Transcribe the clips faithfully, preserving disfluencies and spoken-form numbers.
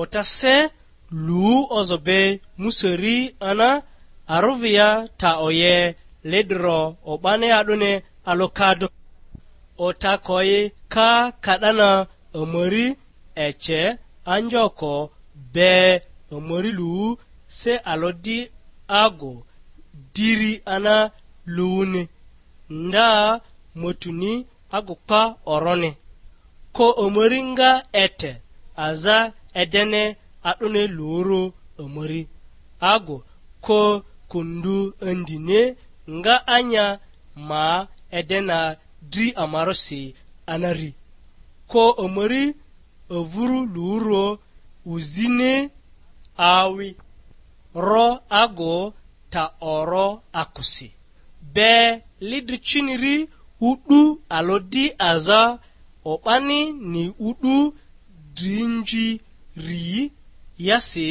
Ota se lu ozo be musari ana aruvia ta oye ledro o'bani a'duni alokado. Ota koyi ka kadana omori ece anjoko be omori lu se alodi ago diri ana luuni. Nda motuni agu pa oroni. Ko omori nga ete aza edene a'duni luru omori. Agu ko kundu andini nga anya ma edena dri amarosi anari. Ko omori avuru luru uzini awi ro agu ta oro akusi. Be lidri chiniri u'du alodi aza o'bani ni u'du drinziri yasi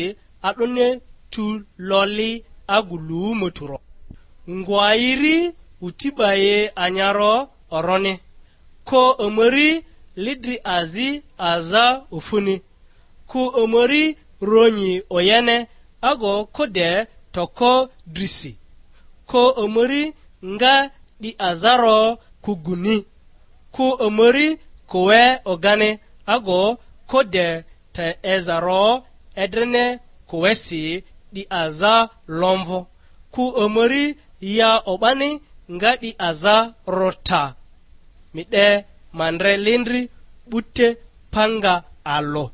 a'duni tu loli agu lu moturo. Ngwairi utibaye anyaro oroni. Ko omori lidri azi aza ofuni. Ku omori ronyi oyene ago kode toko drisi. Ko omori nga 'di azaro kuguni. Ku omori kuwe ogani ago kode te ezaro edrene kuwesi 'di aza lomvo. Ku omori ya o'bani nga 'di aza rota. Mi 'de ma ndre lindri 'bute panga alᴜ.